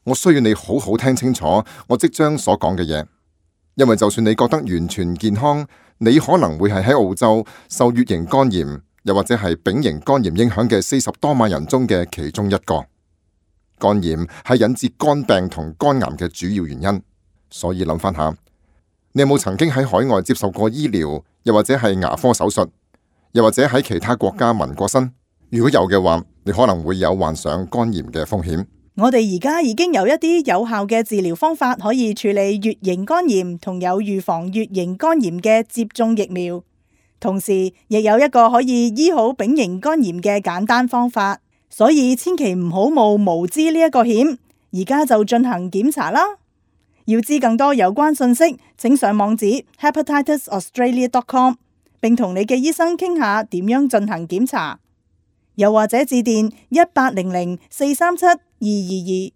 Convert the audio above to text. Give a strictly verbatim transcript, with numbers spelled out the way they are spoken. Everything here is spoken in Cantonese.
我需要你好好聽清楚我即將所講嘅嘢，因為就算你覺得完全健康，你可能會係喺澳洲受乙型肝炎又或者係丙型肝炎影響嘅四十多萬人中嘅其中一個。肝炎係引致肝病同肝癌嘅主要原因，所以諗翻下，你有冇曾經喺海外接受過醫療，又或者係牙科手術，又或者喺其他國家紋過身？如果有嘅話，你可能會有患上肝炎嘅風險。我哋而家已經有一啲有效嘅治療方法可以處理乙型肝炎，同有預防乙型肝炎嘅接種疫苗，同時亦有一個可以醫好丙型肝炎嘅簡單方法。所以千祈唔好冒無知呢一個險，而家就進行檢查啦。要知更多有關信息，請上網址 hepatitis australia dot com， 並同你嘅醫生傾下點樣進行檢查，又或者致電一八零零四三七二二二。